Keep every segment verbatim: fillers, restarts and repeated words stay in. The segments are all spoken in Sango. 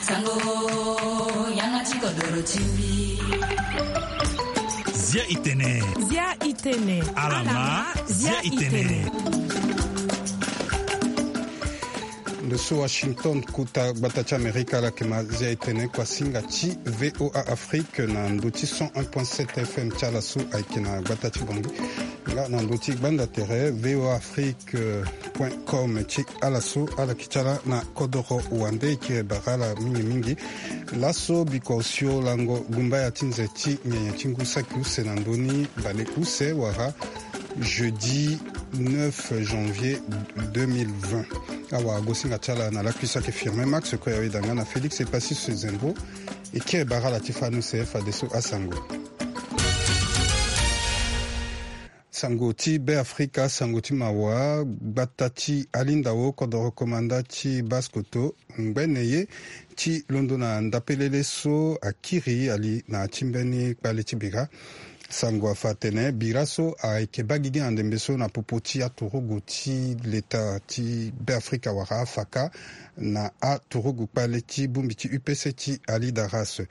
Sango, yanga ti kodoro ti mbi. Zia i tene. Zia i tene. Alama, zia i tene. Ndo so Washington, kota gbata ti Amerika, ala yeke ma zia i tene kuasinga ti V O A Afrique na ndo ti cent un point sept F M ti ala so ayeke na gbata ti Bangui. Nga na ndo ti gbanda tere V O A Afrique point com ti ala so ala yeke ti ala na kodoro wande, e kiri bara ala mingi mingi. Laso bikua osio lango gumbaya ti nze ti nyenye ti ngu saki use na ndö ni bale use wala jeudi neuf janvier deux mille vingt. Awara gosinga ti ala na lakui so ayeke Firmin Max, kue awe danga na Félix Epassis Zembo. E kiri bara ala ti fani use fadeso asango. Sango ti Be Afrika, sango ti mawa. Gbata ti Alindao, kodoro komanda ti Basse-Kotto, ngbene ye ti londo na ndapelele so akiri ali na ti mbeni kpale ti bira. Sango afa atene bira so ayeke baa gigi na ndembe so na popo ti aturugu ti leta ti Be Afrika wala afaka na aturugu kpale ti bongbi ti U P C ti Alidaras.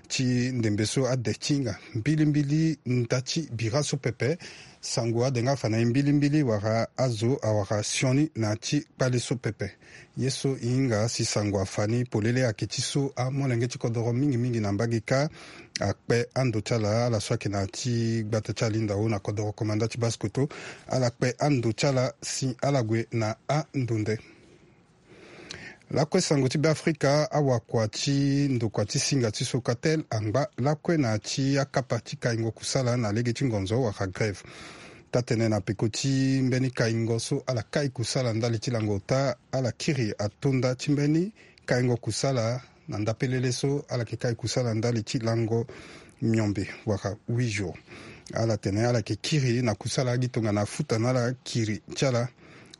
Ti ndembe so ade ti hinga mbilimbili nda ti bira so pepe. Sango ade nga afa na e mbilimbili wala azo awara sioni na ti kpale so pepe. Ye so e hinga si sango afa ni polele ayeke ti so amolenge ti kodoro mingi mingi na mbage kâ akpe ando ti ala, ala so ayeke na ti gbata ti Alindao na kodoro komanda ti Basse-Kotto. Ala kpe ando ti ala si ala gue na andonde. Lakue sango ti Be Afrika, awakua ti ndokua ti singa ti Socatel angba lakue na ya ti akapa ti kaingo kusala na lege ti ngonzo wala grève. Taa-tene na peko ti mbeni kaingo so ala kai kusala ndali ti lango ota, ala kiri atonda ti mbeni kaingo kusala na ndapelele so ala yeke kai kusala ndali ti lango miombe wala huit jours. Ala tene ala yeke kiri na kusala agi tongana afuta na ala kiri ti ala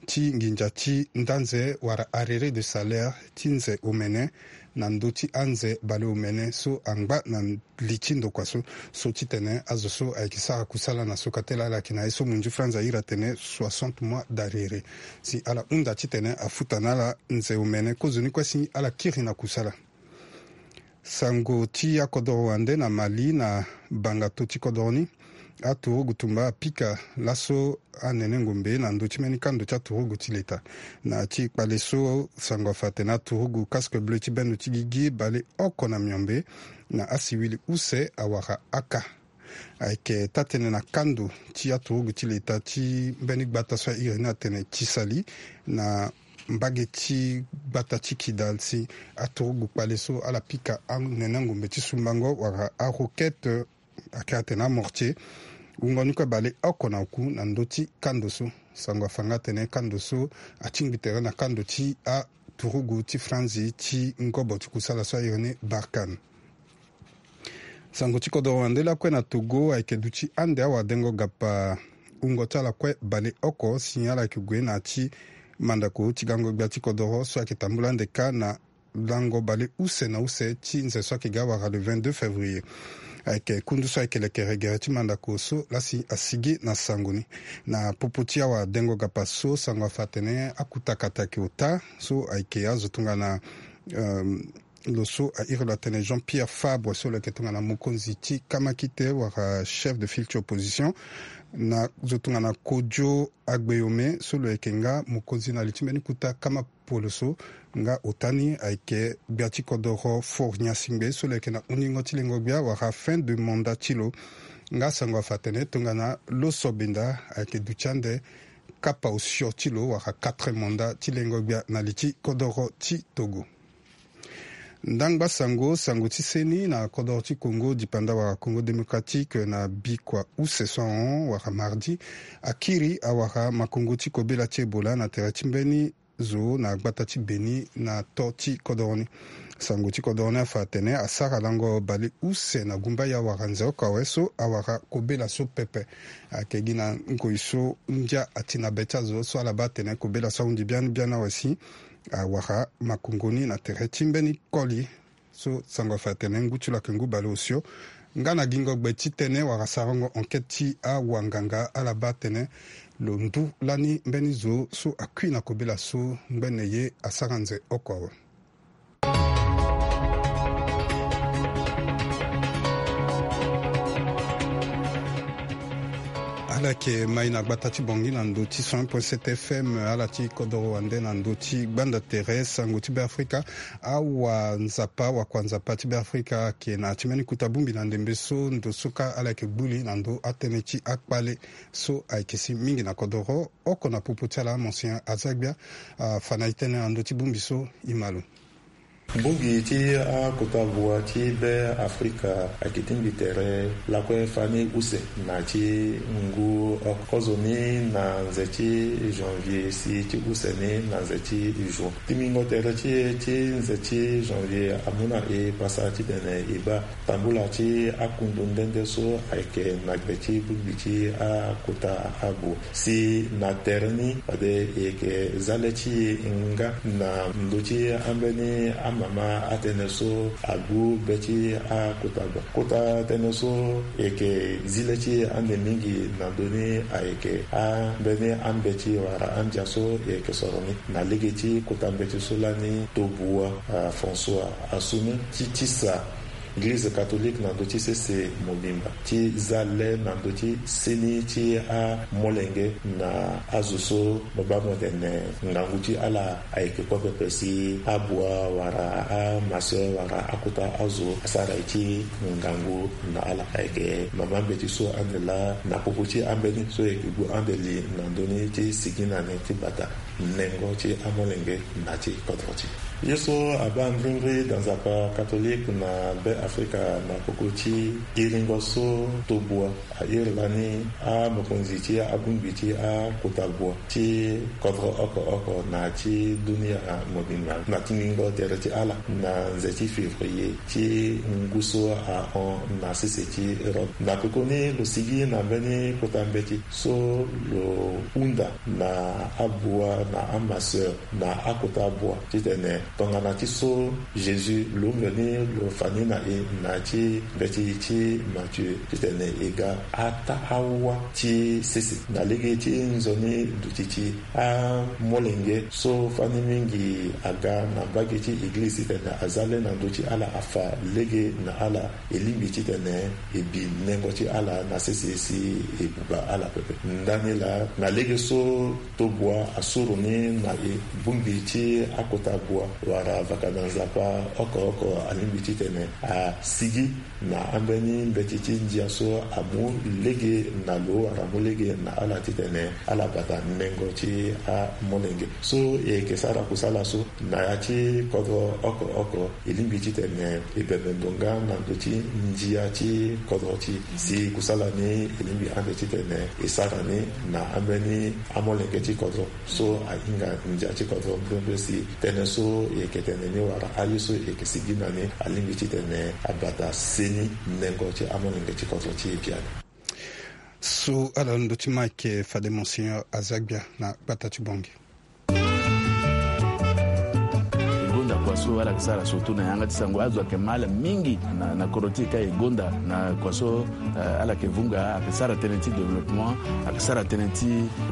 ti nginza ti nda nze wala arrêt de salaire ti nze omene na ndö ti anze baleomene so angba na li ti ndokua so. So titene azo so ayeke sara kusala na Socatel ala yeke na ye so munzu franz ahiri atene soixante mois d'arriéré. Si ala hunda titene afuta na ala nze omene kozoni kue si ala kiri na kusala. Sango ti akodoro wande na Mali, na bangato ti kodoro ni, aturugu tumba apika laso anene ngombe na ndö ti mbeni kando ti aturugu ti leta. Na ti kpale so sango afa atene aturugu casque bleu ti bendo ti gigi baleoko na miombe na asiwili use awara aka. Ayeke taa-tënë na kando ti aturugu ti leta ti mbeni gbata so ahiri ni atene Tisali, na mbage ti gbata ti Kidal, si aturugu kpale so ala pika anene ngombe ti sumbango wala arokete, ayeke atene amortier, wungo ni kue baleoko na oku na ndö ti kando so. Sango afa nga atene kando so atingbi tere na kando ti aturugu ti franzi ti ngobo ti kusala so ahiri ni Barkhane. Sango ti kodoro wande lakue na Togo ayeke duti ande awadengo gapa wungo ti ala kue baleoko si ala yeke gue na ya ti mandako ti gango gbia ti kodoro so ayeke tambula ande kâ na lango baleuse na use ti nze so ayeke ga awara le vingt-deux février. Ayeke kundu so ayeke lekere gere ti mandako so lasi asigi na sango ni. Na popo ti awadengo gapa so, sango afa atene akutakata ayeke ota so ayeke azo tongana, euh, lo so ahiri lo atene Jean-Pierre Fabre so lo yeke tongana mokonzi ti kamakite wala chef de file ti opposition, na zo tongana Kojo Agbeyome so lo yeke nga mokonzi na li ti mbeni kota kama poloso, nga ota ni ayeke gbia ti kodoro Faure Gnassingbé so lo yeke na hunzingo ti lengo gbia wala fin de mandat ti lo. Nga sango afa atene tongana Loso Benda ayeke duti ande kapa osio ti lo wala quatre mandat ti lengo gbia na li ti kodoro ti Togo. Ndangba sango, sango ti seni na kodoro ti Congo dipanda wala Congo Démocratique na bikua use so ahon wala mardi akiri awara makongo ti kobela ti Ebola na tere ti mbeni zo na gbata ti Beni na to ti kodoro ni. Sango ti kodoro ni afa atene asara lango baleuse na gumbaya wala nze oko awe so awara kobela so pepe. Ayeke gi na ngoi so ndia ati na be ti azo so ala baa atene kobela so ahundi biani biani awe si awara makongo ni na tere ti mbeni koli. So sango afa atene ngu ti lo ayeke ngu bale osio. Nga na gingo gbe ti tënë wala sarango enquête ti awanganga ala baa tënë lo ndu lani mbeni zo so akui na kobela so ngbene ye asara nze oko awe. Ala yeke mai na gbata ti Bangui na ndö ti cent un point sept F M, ala ti kodoro wande na ndö ti gbanda tere sango ti Beafrika. Awa Nzapa, wakua Nzapa ti Beafrika ayeke na ya ti mbeni kota bongbi na ndembe so ndo so kâ ala yeke gbu li na ndö atënë ti akpale so ayeke si mingi na kodoro oko na popo ti ala, Monseigneur Azagbia, afa na e tënë na ndö ti bongbi so. E ma lo. Bongbi ti akota bua ti Beafrika ayeke tingbi tere lakue fani use na ti ngu oko. Kozoni na nze ti janvier si ti use ni na nze ti juin. Tingbingo tere ti e ti nze ti janvier amu na e pasa titene e baa tambula ti akundu nde nde so ayeke na gbe ti bongbi ti akota abua. Si na tere ni fade e yeke za le ti e nga na ndö ti ambeni amama atënë so agbu be ti akota bua. Kota tënë so e yeke zi le ti e ande mingi na ndö ni ayeke ambeni ambeti wala andia so e yeke soro ni. Na lege ti kota mbeti so lani tobua, ah, François Assoume ti tisa Eglize catholique na ndö ti sese mobimba ti za le na ndö ti seni ti amolenge na azo so mo baa mo tene ngangu ti ala ayeke kue pepe si abua wala amasseur wala akota azo asara ye ti ngangu na ala. Ayeke mama mbeti so ande laa na popo ti ambeni so e yeke gbu ande li na ndö ni ti sigi na ni ti bata nengo ti amolenge na ti kodro ti e. Ye so abaa mbrimbri da Nzapa catholique na Beafrika na popo ti iringo so tobua airi lani amokonzi ti abongbi ti akota bua ti kodro oko oko na ti dunia mobimba na tingbingo tere ti ala na nze ti février ti ngu so ahon na sese ti Europe. Na pekoni lo sigi na mbeni kota mbeti so lo hunda na abua na amasseur na akota bua titene tongana ti so Jésus lo mveni lo fa ni na e na ti mbeti ti Matthieu titene e ga ataa awa ti sese na lege ti nzoni duti ti amolenge so fani mingi aga na mbage ti eglize titene aza le na ndö ti ala afa lege na ala. E lingbi titene e bi nengo ti ala na sese si e buba ala pepe. Ndani laa na lege so tobua asoro ni na e, bongbi ti akota bua wala vaka na Nzapa oko oko alingbi titene asigi na ambeni mbeti ti ndia so amu lege na lo wala amu lege na ala titene ala bata nengo ti amolenge. So e yeke sara kusala so na ya ti kodro oko oko, e lingbi titene e bembe ndo nga na ndö ti ndia ti kodro ti e. Si kusala ni e lingbi ande titene e sara ni na ambeni amolenge ti kodro so ahinga ndia ti kodro mbrimbri si tënë so e yeke tene ni wala aye so e yeke sigi na ni alingbi titene abata seni nengo ti amolenge ti kodro ti e biani. So ala ndö ti Mike fade Monseigneur Azagbia na gbata ti Bangui. E gonda kua so ala yeke sara surtout na yanga ti sango, azo ayeke ma ala mingi na, na kodro ti e ka e gonda na kua so, eh, ala yeke vunga, ayeke sara tënë ti développement, ayeke sara tënë ti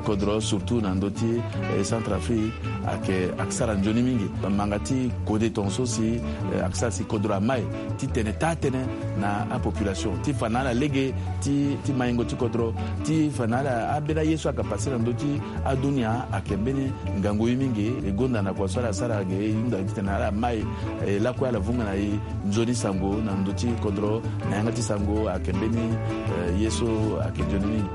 kodro surtout na ndö ti, eh, Centrafrique, ayeke, ayeke sara nzoni mingi. Manga ti kode tongaso si, eh, ayeke sara si kodro amai titene taa tënë na apopulation ti fa na ala lege ti, ti maingo ti kodro, ti fa na ala ambeni aye so ayeke pase na ndö ti adunia ayeke mbeni ngangu ye mingi. E gonda na kua so ala sara ge e hunda titene ala mai, eh, lakue ala vunga na e nzoni sango na ndö ti kodro na yanga ti sango ayeke mbeni, eh, ye so ayeke nzoni mingi.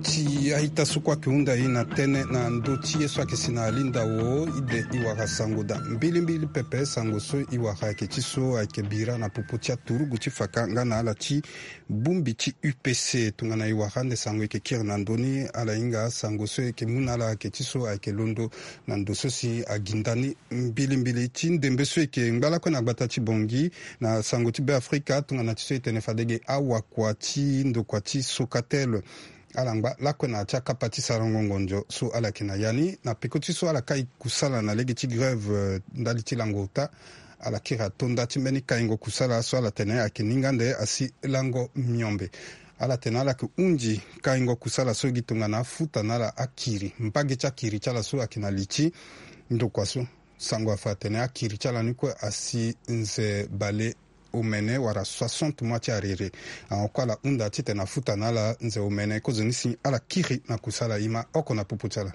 Ti a-ita so kue ayeke hunda e na tënë na ndö ti ye so ayeke si na alinda wo, ide e wara sango daa mbilimbili pepe. Sango so e wara ayeke ti so ayeke bira na popo ti aturugu ti faka nga na ala ti bongbi ti U P C. Tongana e wara ande sango e yeke kiri na ndö ni, ala hinga sango so e yeke mu na ala ayeke ti so ayeke londo na ndo so si aginda ni mbilimbili. Ti ndembe so e yeke ngba lakue na gbata ti Bangui na sango ti Beafrika, tongana ti so e tene fade ge awakua ti ndokua ti Socatel Ala ngba lakue na ya ti akapa ti sarango ngonzo so ala yeke na ya ni na peko ti so ala kai kusala na lege ti grève ndali ti lango ota. Ala kiri atonda ti mbeni kaingo kusala so ala tene ayeke ninga ande asi lango miombe. Ala tene ala yeke hunzi kaingo kusala so gi tongana afuta na ala akiri mbage ti akiri ti ala so ayeke na li ti ndokua so. Sango afa atene akiri ti ala ni kue asi nze bale omene wala soixante mois ti arere. Ahon kue ala hunda titene afuta na ala nze omene kozoni si ala kiri na kusala e ma oko na popo ti ala.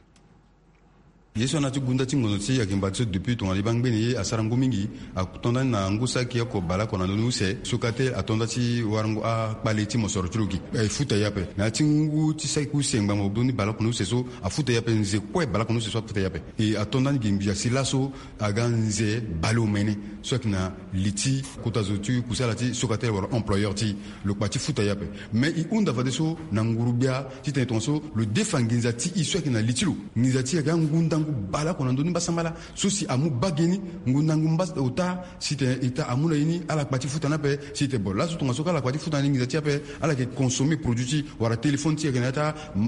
Ye so ana ti gunda ti ngonzo ti ayeke ngba ti so depuis tongana e baa ngbeni ye asara ngu mingi. Atonda ni na ngu saki oko bale oko na ndoni use so kate atonda ti warango akpale ti mosoro ti lo gi. E futa ye ape na ya ti ngu ti saki use ngbanga bobdo ni bale oko na use so afuta ye ape nze kue bale oko na use so afuta ye ape. E atonda ni gi ngbia si laso aga nze baleomene so ayeke na li ti kota zo ti kusala ti sokatele wala employeur ti lo kpa ti futa ye ape. Me e hunda fadeso na nguru-gbia titene tongaso lo defa nginza ti e so ayeke na li ti lo. Nginza ti e aga ngundangu baleoko na ndö ni mbasambala so si amu bage ni ngundangu mbas ota si tene eta amu na e ni ala kpa ti futa ni ape. Si tene bon laso tongaso ka ala kpa ti futa ni nginza ti e ape ala yeke consommer produit ti wala téléphone ti e ayeke na ya ti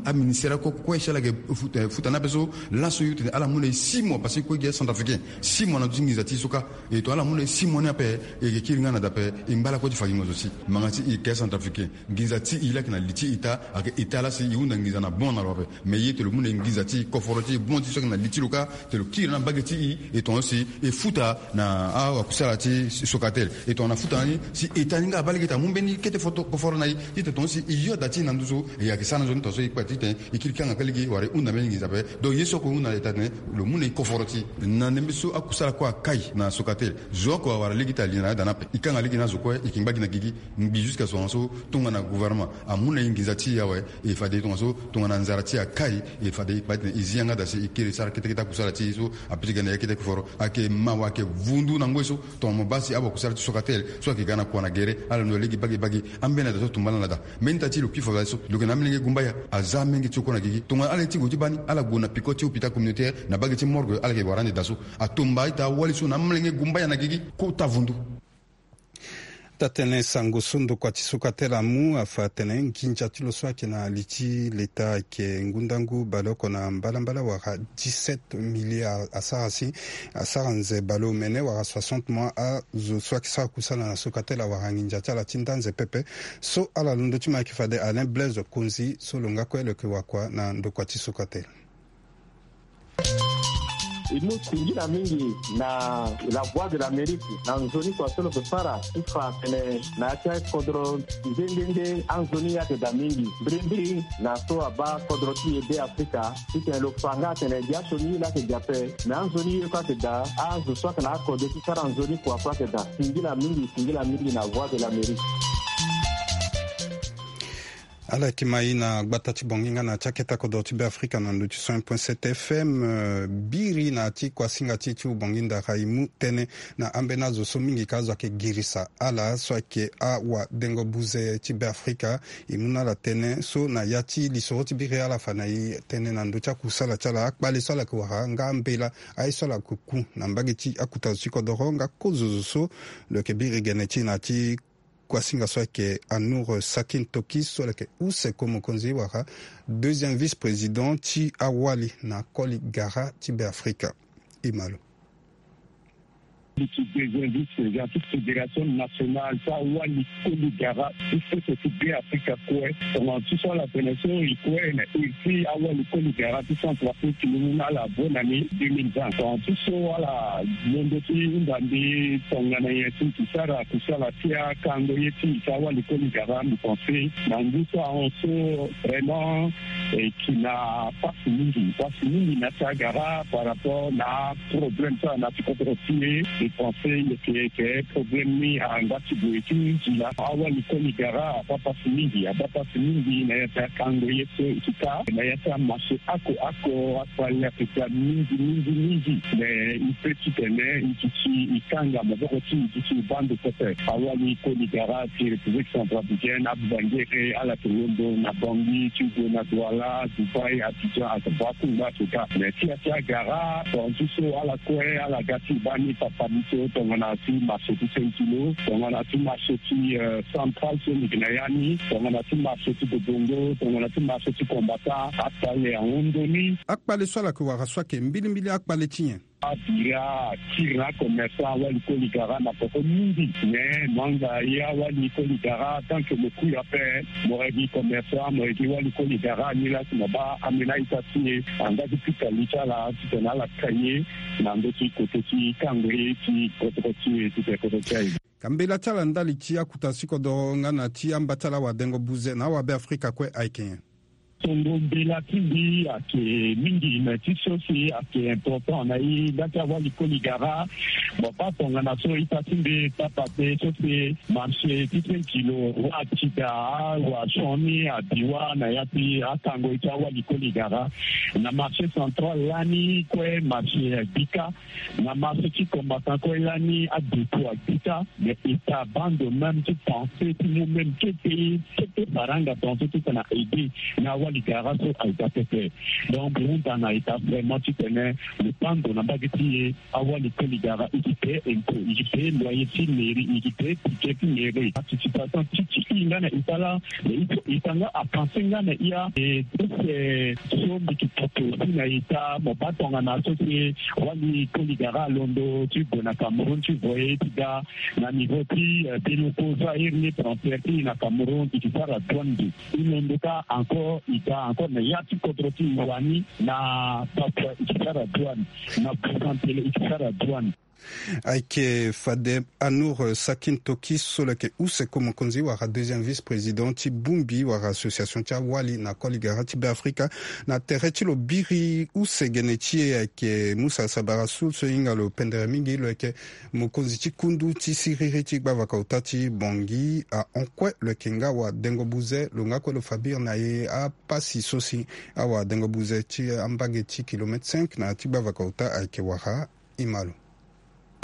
aministère akoko kue si ala yeke futa ni ape so. Laso yo tene ala mu na e six mois parce que kue gi acentrafricain six mois na ndö ti nginza ti e so kâ. E tongana ala mu na e six mois ni ape e yeke kiri nga na dape e ngba lakue ti fa gi ngonzo ti e. Manga ti e yeke acentrafricain nginza ti e laa ayeke na li ti eta ayeke eta laa si e hunda nginza na bon na lo ape. Me ye tene lo mu na e nginza ti e koforo ti e bon ti e so ayeke na li ti lo kâ. Tene lo kiri na mbage ti e e tongaso si e futa na awakusala ti sokatele e tongana afuta na ni si eta ni nga abaa lege ti amu mbeni kete foto koforo na e. Titene tongaso si e yo da ti e na nduzu e yeke sara na nzoni tongaso e kpe titene e kiri kanga kâ lege wala e hunda mbeni nginza ape. Donc ye so oko e hunda na eta tene lo mu na e koforo ti e na ndembe so akusala kue akai na sokatele zo oko awara lege ti ali na ya da ni ape e kanga lege na azo kue e yeke ngba gi na gigi. Ngbi jusqu'à so tongaso tongana gouvernement amu na e nginza ti e awe. E fade tongaso tongana nzara ti e akai e fade e kpa titene e zi yanga da si e kiri sara ketekete akusala ti e so ape ti ga na ya kete koforo. Ayeke mawa ayeke vundu na ngoi so tongana mo baa si awakusala ti sokatele so ayeke ga na kua na gere ala londo lege bage bage. Ambeni ada so atumba ala na da mbeni ita ti lo kpi fade so lo yeke na amolenge gumbaya aza amolenge ti oko na gigi tongana ala ye ti gue ti baa ni ala gue na peko ti hôpital communautaire na bage ti morgue ala yeke wara ande da so. Atomba ita awali so na amolenge gumbaya na gigi kota vundu. Taa-tënë sango so ndokua ti sokatele amu afa atene nginza ti lo so ayeke na li ti leta ayeke ngundangu baleoko na mbalambala wala dix-sept milliards asara si asara nze baleomene wala soixante mois azo so ayeke sara kusala na sokatele awara nginza ti ala ti nda nze pepe. So ala londo ti mo ayeke fade Alain Blaise Konzi so lo nga kue lo yeke wakua na ndokua ti sokatele. E mu singila mingi na la voix de l'Amérique na nzoni kua so lo yeke sara ti fa atene na ya ti akodro nde nde nde anzoni ayeke daa mingi mbirimbiri na so abaa kodro ti e be afrika titene lo fa nga atene gi asioni ye laa ayeke gi ape. Me anzoni ye kue ayeke daa azo so ayeke na akode ti sara nzoni kua kue ayeke daa. Singila mingi singila mingi na voix de l'Amérique. Ala yeke ma e na gbata ti bongi nga na ya ti akete kodro ti be afrika na ndo ti cent point sept fm. Biri na ya ti kuasinga ti e ti ubongi ndara e mu tënë na ambeni azo so mingi ka azo ayeke girisa ala so ayeke awadengo buze ti be afrika. E mu na ala tënë so na ya ti lisoro ti biri ala fa na e tënë na ndö ti akusala ti ala akpale so ala yeke wara nga ambela aye so ala yeke ku na mbage ti akuta zo ti kodoro nga kozo zo so lo yeke biri gene ti e na ya ti kuasinga so ayeke Anour Sakin Toki so ala yeke use ko mokonzi wala deuxième vice-président ti awali na koli gara ti be afrika. E ma lo. Ti deuxième vice-président ti fédération nationale ti awali koli gara ti sese ti be afrika kue. Tongana ti so ala tene so e kue na iri ti awali koli gara ti centrafrique ni mu na ala abo na ni deux mille vingt. Tongana ti so ala londo ti hunda mbi tongana nyen si e sara kusala ti akango ye ti e ti awali koli gara mbi pense na ngu so ahon so vraiment e yeke na pasi mingi pasi mingi na ya ti agara par rapport na aproblème so ala na ya ti kodro ti e. Mbi pense e yeke yeke problème ni angba ti gue ti nzila awali koli gara abaa pasi mingi abaa pasi mingi na ya ti akango ye so e yeke ka na ya ti amaso oko oko akpale ayeke daa mingi mingi mingi. Me e pe titene e duti e kanga maboko ti e duti e baa ndo pepe. Awali koli gara ti république centrafricaine abangere ala yeke londo na bangi ti gue na douala. Dubai, Abidjan, aka baa kungba so ka. Mais ti ya ti agara, tonga ti so ala kue ala ga ti baa ni papa ni so, tongana ti marché ti cinq kilo, tongana ti marché ti, euh, central so mbi gi na ya ni, tongana ti marché ti Bobongo, tongana ti marché ti Kombata, akpale ahon ndoni. Akpale so ala yeke wara so ayeke mbilimbili akpale ti nyen? Abira akiri na acommerçant, awali koli gara na peko mingi. Mais mo yanga ye awali koli gara, tant que mo kui ape, mo yeke gi commerçant, mo yeke gi wali koli gara, ni laa si mo baa ambeni a-ita ti e, anga ti pika li ti ala titene ala ka ye na ndö ti koto ti kango ye ti kodro ti e, titene kodro ti aye. Ka mbela ti ala ndali ti akuta si kodoro nga na ti amba ti ala awadengo buze na awabeafrika kue ayeke nyen? Tongo mbela ti mbi ayeke mingi, me ti so si ayeke important na e nda ti awali koli gara. Mo baa tongana so ita ti mbi tapate so si marché ti cinq kilo, wa Tida, wa Sioni, Abiwa, na ya ti akango ti awali koli gara. Na marché central lani kue marché abika. Na marché ti Kombata kue lani adutu abika, mais ita baa ndo même ti pensé ti mu même kete kete faranga tongaso titene aide na awali gara so aita pepe. Donc mbi hunda na ita vraiment titene lo baa ndo na mbage ti e, awali koli gara e yeke paye impôt, e yeke paye loyer ti mairie, e yeke paye budget ti mairie. Participation ti ti e nga na ita laa, mais il faut ita nga apenser nga na e ya, e, so mbi yeke poto aussi na ita, mo baa tongana so si wali koli gara alondo ti gue na Cameroun ti voyer ti ga na niveau ti, eh, Biloko so airi ni transfert ti e na Cameroun, e yeke sara douane. Mbi, e londo ka encore, e ga encore na ya ti kodro ti e wani na Papouasie, e yeke sara douane, na Bougainville, e yeke sara douane. Ayeke fade Anour Sakin Toki so lo yeke use ko mokonzi wala deuxième vice-président ti bongbi wala association ti awali na koli gara ti Beafrika. Na tere ti lo biri use gene ti e ayeke Musa Sabara Soul so e hinga lo pendere mingi, lo yeke mokonzi ti kundu ti siriri ti gbavaka ota ti Bangui ahon kue. Lo yeke nga awadengo buze, lo nga kue lo fa biri na e apasi so si awadengo buze ti ambage ti kilomètre cinq na ya ti gbavaka ota ayeke wara. E ma lo.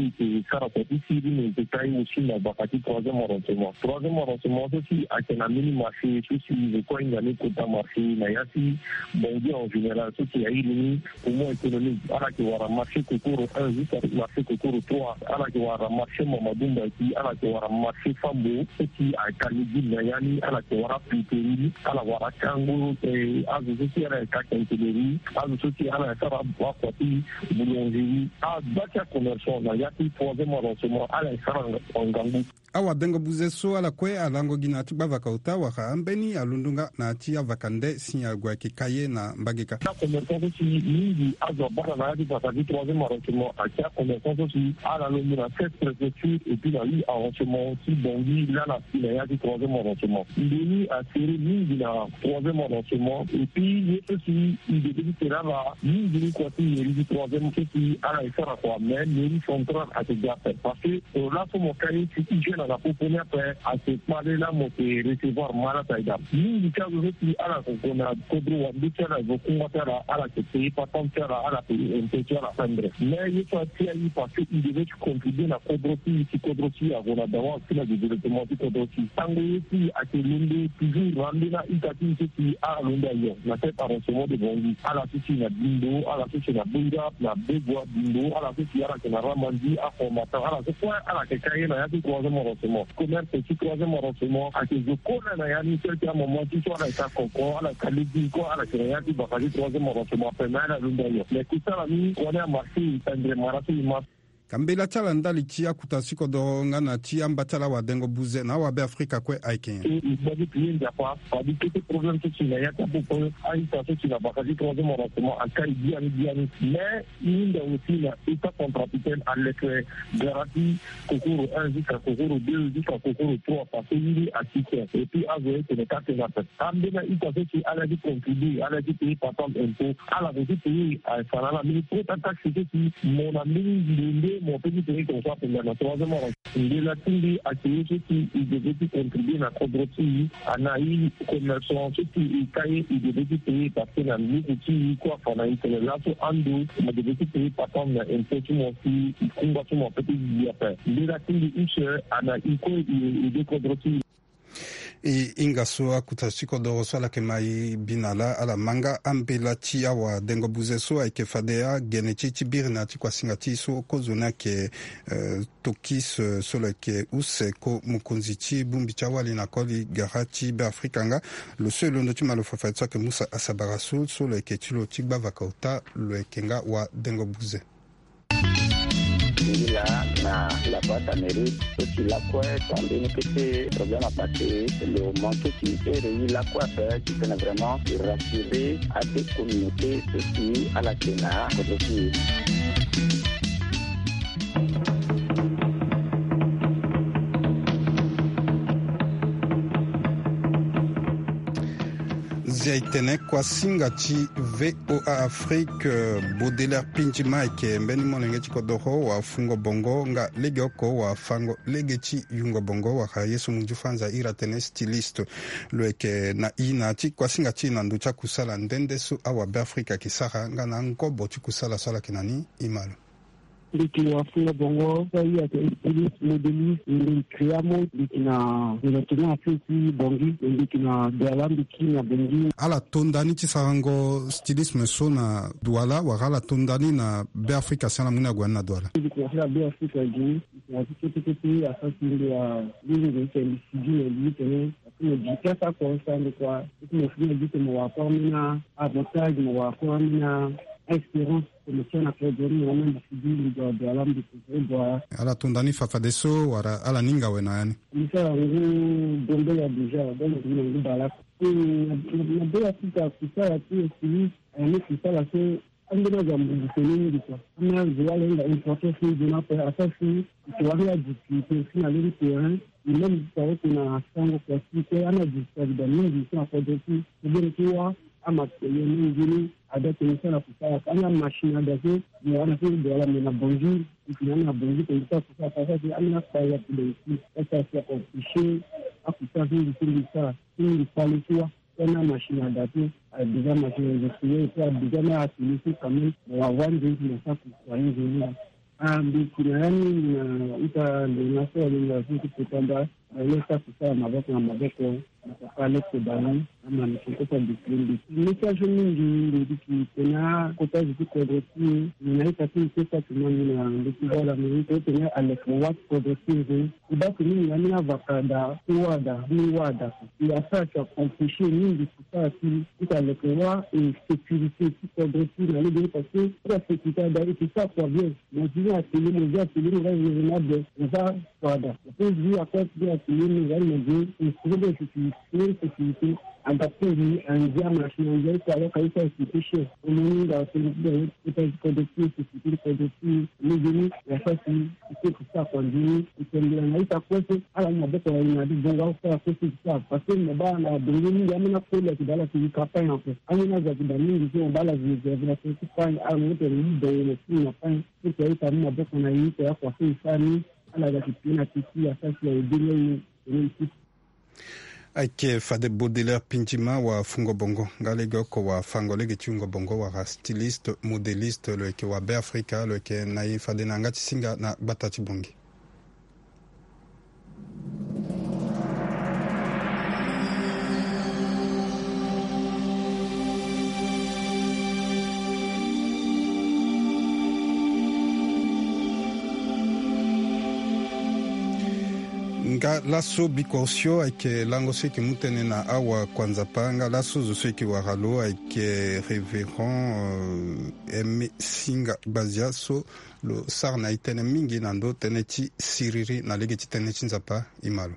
E yeke sara kua ti siriri, e yeke kai aussi na gbaka ti troisième arrondissement. Troisième arrondissement so si ayeke na mbeni marché so si e zo kue ahinga ni kota marché na ya ti Bangui en général so si airi ni poumon économique. Ala yeke wara marché Kokoro un jusqu'à marché Kokoro trois. Ala yeke wara marché Mamadou Mbaki. Ala yeke wara marché Fambo so si ayeke ka legime na ya ni. Ala yeke wara pinteri. Ala wara kango, eh, azo so si ala yeke ka kenteleri. Azo so si ala yeke sara akua ti boulangerie. Agba ti acommerçant na ya ti troisième arrondissement ala yeke sara ngangu. Awadengo buze so ala kue alango gi na ya ti gbavaka ota wala ambeni alondo nga na ya ti avaka nde si ague ayeke ka ye na mbage ka. Acommerçant so si mingi azo abara na ya ti vaka ti troisième arrondissement ayeke acommerçant so si ala londo na sept préfecture et puis na huit arrondissement ti Bangui laa ala si na ya ti troisième arrondissement. Mbeni asere mingi na troisième arrondissement. Et puis ye so si e debe ti tene ala mingi ni kua ti mairie ti troisième so si ala yeke sara kua, mais mairie centrale ayeke ga ape parce que, euh, laso mo ka ye si hygiène ala popo ni ape, ayeke kpale laa mo yeke recevoir malade ayeke ga. Mingi ti azo so si ala yeke gue na kodro wande ti ala, e gue kungba ti ala, ala yeke paye patente ti ala, ala paye impôt ti ala pendre. Mais ye so atia e parce que e debe ti contribuer na kodro ti e si kodro ti e ague na dawa ti na développement ti kodro ti e. Tango ye ti e ayeke londo toujours na ambeni a-ita ti e so si ala londo ayo na sept arrondissement de Bangui. Ala so si na Bimbo, ala so si na Boira, na Begoua, Bimbo, ala so si ala yeke na Ramandi, Akomatan, ala so kue ala yeke ka ye na ya ti troisième arrondissement. Commerce ti troisième arrondissement ayeke zo kue na ya ni, tel ti amama ti so ala yeke ka koko, ala yeke ka legime kue, ala yeke na ya ti baka ti troisième arrondissement ape, mais ala londo ayo. Mais kusala ni kua ni amarché, e pendre mara so e ma. Ka mbela ti ala ndali ti akuta si kodoro nga na ti amba ti ala awadengo buze na awabeafrika kue ayeke nyen? E, e gbagi ti ye Nzapa, fade kete problème so si na ya ti apopo a-ita so si na baka ti troisième arrondissement akai biani biani. Mais e hinga aussi na État centrafricain aleke gara ti Kokoro un jusqu'à Kokoro deux jusqu'à Kokoro trois parce que ye ni asisté. Et puis azo ye tene ka tene ape. Ambeni a-ita so si ala ye ti contribuer, ala ye ti payer patente impôt, ala gue ti payer, eh, fa na ala mbeni quota taxe so si mo na mbeni ndo nde mo peut ti payer comme ça pendant na troisième arrondissement. Mbela ti mbi ayeke ye so si e debe ti contribuer na kodro ti e, ana e commerçant so si e ka ye e debe ti payer parce que na luku ti e kue afa na e tene laso ando mo debe ti payer patente na impôt ti mo si e kungba ti mo ape ti gi ape. Mbela ti mbi use ana e kue e, e de kodro ti e. E hinga so akuta ti kodoro so ala yeke ma e bi na laa, ala ma nga ambela ti awadengo buze so ayeke fade agene ti e ti biri na ya ti kuasinga ti e so kozoni ayeke, eh, Tokis, eh, so lo yeke use ko mokonzi ti bongbi ti awali na koli gara ti Beafrika nga. Lo so e londo ti ma lo fafa ti so ayeke Musa Asabara so, so lo yeke ti lo ti gbavaka ota, lo yeke nga wadengo buze. Ngi laa na la boîte à mérite so ti lakue so ambeni kete problème à passer, lo manque ti ere ye lakue ape ti tene vraiment rassurer ade communauté so si ala yeke na kodro ti e. Zia e tene kuasinga ti V O A Afrique, eh, Baudelaire Pindjima ayeke mbeni molenge ti kodoro wafungo bongo nga legeoko wafango lege ti yungo bongo, wala ye so munju fanza iri atene styliste. Lo yeke na e na ya ti kuasinga ti e na ndö ti akusala nde nde so awabeafrika ayeke sara nga na angobo ti kusala so ala yeke na ni. E ma lo. Mbi yeke wafungo bongo so aye ayeke styliste, modéliste, mbi yeke créer amode, mbi yeke na développement affaire ti Bangui, mbi yeke na Douala, mbi yeke na Bangui. Ala to nda ni ti sarango stylisme so na Douala, wala ala to nda ni na Beafrika si ala mu ni ague ni na Douala? Mbi yeke na Beafrika gi ni, mbi yeke na ti kete kete, asara si mbi wa, mbi yeke na mbi sigi na mbi tene, parce que mo gi ti asara kua, asara ndo kua, parce que mo fini na gi tene mo wa kua ambeni avantage, mo wa kua ambeni a-espérance. Tene ti ana kue John na mbi sigi mbi gue Douala, mbi kue Douala. Ala to nda ni fafadeso wala ala ni hinga awe na ya ni? Mbi sara ngu Gambela déjà, donc mbi na ngu Balaka. Hmm, na, na, na Beafrika kusala ti e si ayeke kusala so ambeni azo amudu tene mingi kua. Ambeni azo wala e hinga importance ni zo ni ape, asara si e yeke wara adiki e si na lege terrain, e même ti sara oko na sango kua si kue ambeni adiki ayeke daa mingi so na kodro ti e. Ti beni ti wâ amatériel ni nzoni ada tene so ala kusala aka. Anga machine ada so mo wara na so Douala me na Bangui, e tene anga na Bangui tene so akusala aka, asara si ambeni akpale ape daa e si, asara si aempêcher akusala so nzoni so mbi sara, so mbi kpale ti wâ. Tongana machine ada so, a déjà machine réseau sociaux, et puis a déjà na atelier so quand même, mo wa wâ nzoni ti mo sara kusala nzoni. Ah, mbi yeke na ya ni na ita lona so alingbi so ti kota nda, ah, lo sara kusala maboko na maboko, na papa Alex Bani, ama mbi yeke kota déclin mbi. Message mingi mbi yeke tene akota zo ti kodro ti e, na ita ti e ti sara tumba mbi na ndö ti vala mbi, tene Alex mo wâ ti kodro ti e. E baa tene mbi na ambeni avaka daa, ti wâ daa, mbi wâ daa. E asara ti aempêcher mingi kusala ti, ti aleke wâ, e sécurité ti kodro ti e na lege ni parce que ti asécurité ada e yeke sara kua bien. Mo zi ni atelier, mo zi atelier, mo za zi na be, mo za kua ada. Mo peut zi akua ti atelier, mo za ni mo zi instrument de sécurité, sécurité, adapté ni, andia machine, andia ita, alors que ita sécurité cher. Mo ni nga sécurité, ita ti kodro ti e, sécurité ti kodro ti e, mo zi ni, ya sa si, e peut ti sara kua nzoni, e tene na ita kue so, ala mu maboko na e na ade bongo, ala sara kue so e sara. Parce que mo baa na bongo mingi, ambeni akoli ayeke daa ala si e campagne en fait. Ambeni azo ayeke daa mingi so, mo baa ala zi, zi, zi, ala si e campagne, ala mu tene e dongo na si na campagne. Ti tene ita mu maboko na e, ti tene akua so e sara ni, ala ga ti pie na ti ti, asara si aye be ni aye, tene ti. Ayeke fade Baudelaire Pindjima wafungo bongo, nga lege oko wafango lege ti wungo bongo, wala styliste, modéliste, lo yeke wa Beafrika, lo yeke na e fade na yanga ti singa na gbata ti Bangui. Nga laso bikosio ayeke lango so e yeke mu tënë na awakua Nzapa, nga laso zo so e yeke wara lo ayeke Révérend, euh, Aimé Singa Gbazia so lo sara na e tënë mingi na ndö tënë ti siriri na lege ti tënë ti Nzapa. E ma lo.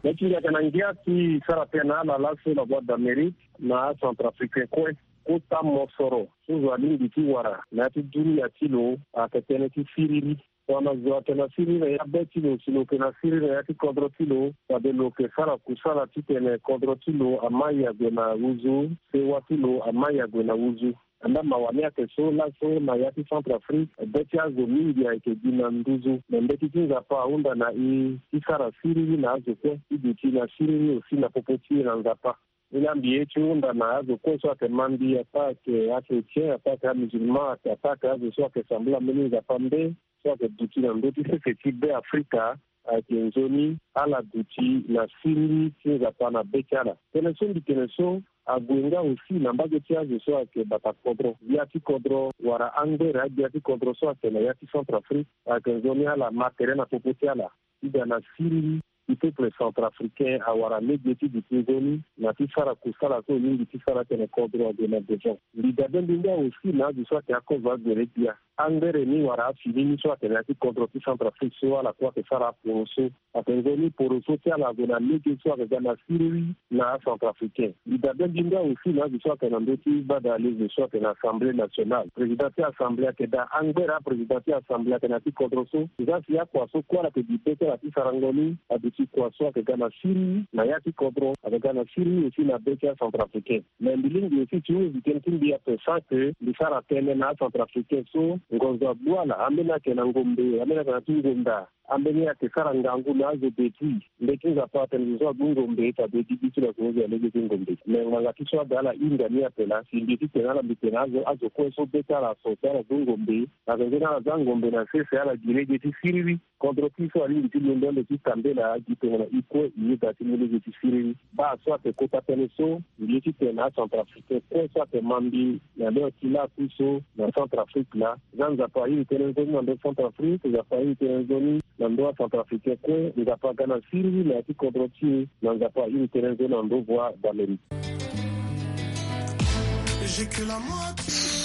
Neti ndia yeke na ngia ti sara tënë na ala laso na Voix d'Amérique na acentrafricain kue. Kota mosoro so zo alingbi ti wara na ya ti dunia ti lo ayeke tënë ti siriri. Tongana zo ayeke na siriri na ya be ti lo, si lo yeke na siriri na ya ti kodro ti lo, fade lo yeke sara kusala titene kodro ti lo amai ague na nduzu, sewa ti lo amai ague na nduzu. Andaa mawa ni ayeke so laso na ya ti Centrafrique, be ti azo mingi ayeke gi na nduzu. Me mbeti ti Nzapa ahunda na e ti sara siriri na azo kue, ti duti na siriri aussi na popo ti e na Nzapa. Ni laa mbi ye ti hunda na azo kue so ayeke ma mbi, ataa ayeke achrétien, ataa ayeke amusulman, ataa ayeke azo so ayeke sambela mbeni Nzapa mbe, so ayeke duti na ndö ti sese ti Beafrika, ayeke nzoni ala duti na siriri ti Nzapa na be ti ala. Tënë so mbi tene so ague nga aussi na mbage ti azo so ayeke bata kodro, gbia ti kodro wala angbere agbia ti kodro so ayeke na ya ti Centrafrique ayeke nzoni ala ma tere na popo ti ala ti ga na siriri ti peuple centrafricain awara lege ti duti nzoni na ti sara kusala so e lingbi ti sara tene kodro ague na devant. Mbi dabe mbi nga aussi na azo so ayeke akozo agbere gbia angbere ni wala afini ni so atene ya ti kodro ti Centrafrique so ala kue ayeke sara aporo so. Ayeke nzoni poro so ti ala ague na lege so ayeke ga na siriri na acentrafricain. Mbi dabe mbi nga aussi na azo so ayeke na ndö ti gbada lege so ayeke na Assemblée nationale. Président ti Assemblée ayeke daa angbere aprésident ti Assemblée ayeke na ya ti kodro so. Nzasi akua so kue ala yeke gi be ti ala ti sarango ni aduti kua so ayeke ga na siriri na ya ti kodro, ayeke ga na siriri aussi na be ti acentrafricain. Mais mbi lingbi aussi ti huse tënë ti mbi ape sans que mbi sara tënë na acentrafricain so ngonzo agbu ala, ambeni ayeke na ngombe, ambeni ayeke na ti ngonda, ambeni ayeke sara ngangu na azo depuis. Mbeti Nzapa atene zo so agbu ngombe fade gigi ti lo ayeke hose na lege ti ngombe. Mais ngbanga ti so ada ala hinga ni ape laa si mbi ye titene ala mbi tene azo, azo kue so be ti ala so si ala gbu ngombe, na tongaso ni ala za ngombe na sese ala gi lege ti siriri. Kodro ti so alingbi ti londo ande ti tambela gi tongana i kue i yeda ti mu lege ti siriri. Baa so ayeke kota tënë so, mbi ye titene acentrafricain kue so ayeke ma mbi na leo ti lakui so na Centrafrique laa, za Nzapa airi tënë nzoni na ndö Centrafrique, Nzapa airi tënë nzoni na ndö acentrafricain kue. Nzapa aga na siriri na ya ti kodro ti e, na Nzapa airi tënë nzoni na ndö Voix d'Amérique.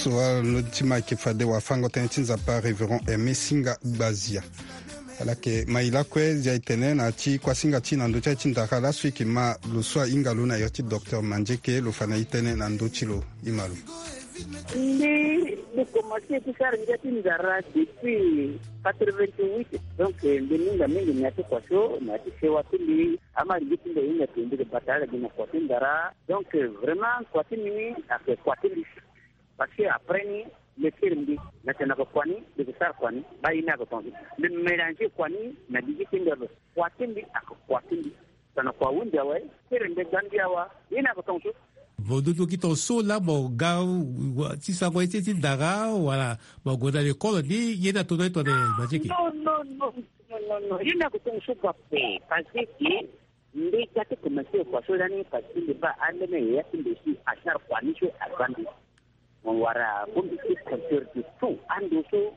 So wala ndö ti ma ayeke fade wafango tënë ti Nzapa, Révérend Aimé Singa Gbazia. Ala yeke ma e lakue, zia e tene na ya ti kuasinga ti e na ndö ti aye ti ndara laso e yeke ma lo so ahinga lo na iri ti docteur Mandieke, lo fa na e tënë na ndö ti lo. E ma lo. Mbi, mbi komanse ti sara ngia ti ndara depuis quatre-vingt-huit. Donc, mbi minga mingi na ya ti kua so, na ya ti sewa ti mbi. Ama lege ti mbi ahinga ti mbi yeke bata ala gi na kua ti ndara. Donc, vraiment, kua ti mbi ni ayeke kua ti mbi. Parce que après ni, le tere mbi, na tena ko kua ni, mbi ko sara kua ni, ba ye ni ako tonga. Mbi mélanger kua ni na gigi ti mbi abe. Kua ti mbi ako kua ti mbi. Tana kua hundi awe, tere mbi Gambia wa, ye ni ako tonga so. Mo duti ki tonga so laa mo ga wa, ti sango ye ti, ti ndara, wala mo gue na lekolo ni, ye ni atono ye tongana Mandieke? Non, non, non, non, non, non. Ye ni ako tonga so kua pe, parce que Mbi ga ti komanse kua so lani parce que mbi baa ambeni yaya ti mbi si asara kua ni so aza mbi. Mo wara bongbi ti compteur de tout ando so.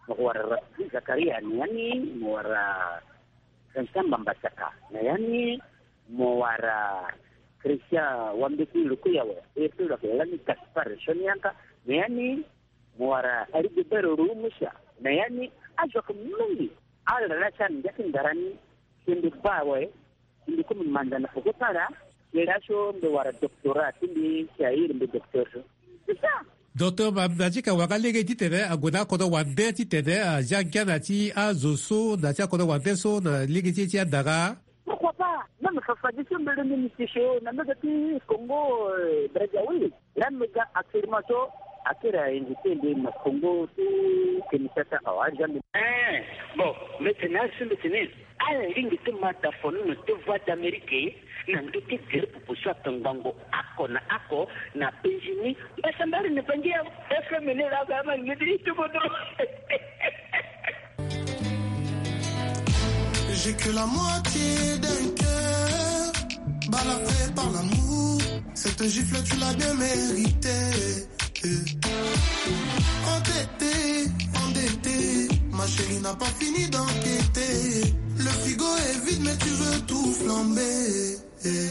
Mo wara Rafiki Zakaria na ya ni, mo wara Vincent Mbamba Saka na ya ni, mo wara Christian Wambeti Lukuyawe, e so lo yeke lani Gaspard Sonianka na ya ni, mo wara Rigobert Rumusa na ya ni. Azo ayeke mingi. Ala laa ti ala ngia ti ndara ni. Si mbi baa awe, si mbi kue mbi manda na peko ti ala. Ye laso mbi wara doctorat ti mbi, si airi mbi docteur so. C'est ça. Docteur Mandieke, wara lege titene ague na akodro wande titene azia ngia na ya ti azo so, na ya ti akodro wande so na lege ti e ti andara. Pourquoi pas? Même fafadeso mbele ni mbi ti so na mbage ti Congo, euh, Brazzaville. Laa mbi ga actuellement so akiri a invité mbi na Congo ti Kinshasa awa, aza mbi. Eh, bon, mbi tene azo so mbi tene ala lingbi ti ma da fono na ndö Voix d'Amérique na ndö ti gere pupu so ayeke ngbongo oko na oko na Benjini. Mbasambari ni bangi ya F M ni laa ga ama lingbi ti ti kodro. J'ai que la moitié d'un cœur, balafré par l'amour. Cette gifle, tu l'as bien méritée. Entêté, endetté, ma chérie n'a pas fini d'enquêter. Le frigo est vide, mais tu veux tout flamber. Elle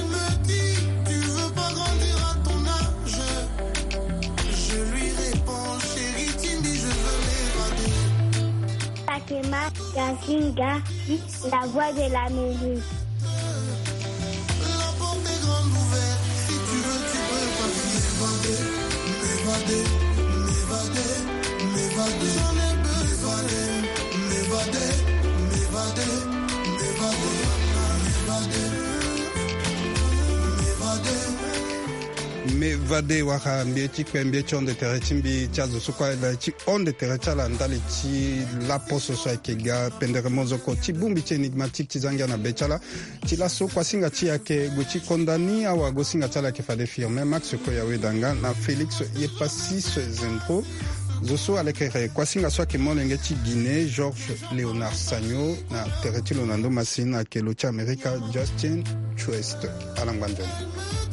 me dit, tu veux pas grandir à ton âge. Je lui réponds, chérie Timbi, je veux m'évader. Takema Gazinga, la voix de l'Amérique. La porte est grande ouverte, si tu veux, tu peux partir. M'évader, m'évader, m'évader, m'évader. J'en ai besoin. M'évader, m'évader, m'évader, m'évader, m'évader. M'évader wara mbi ye ti kpe, mbi ye ti hon de tere ti mbi ti azo so kue ala ye ti hon de tere ti ala ndali ti laposo so ayeke ga pendere mozoko ti bongbi ti énigmatique ti za ngia na be ti ala. Ti laso kuasinga ti e ayeke gue ti konda ni, awagosinga ti ala ayeke fade Firmin Max Koya Wedanga na Félix Yepassis Zembro. Zo so alekere kuasinga so ayeke molenge ti Guinée, Georges Léonard Sagno, na tere ti lo na ndo masini ayeke lo ti Amerika, Justin Truest. Ala ngba nzoni.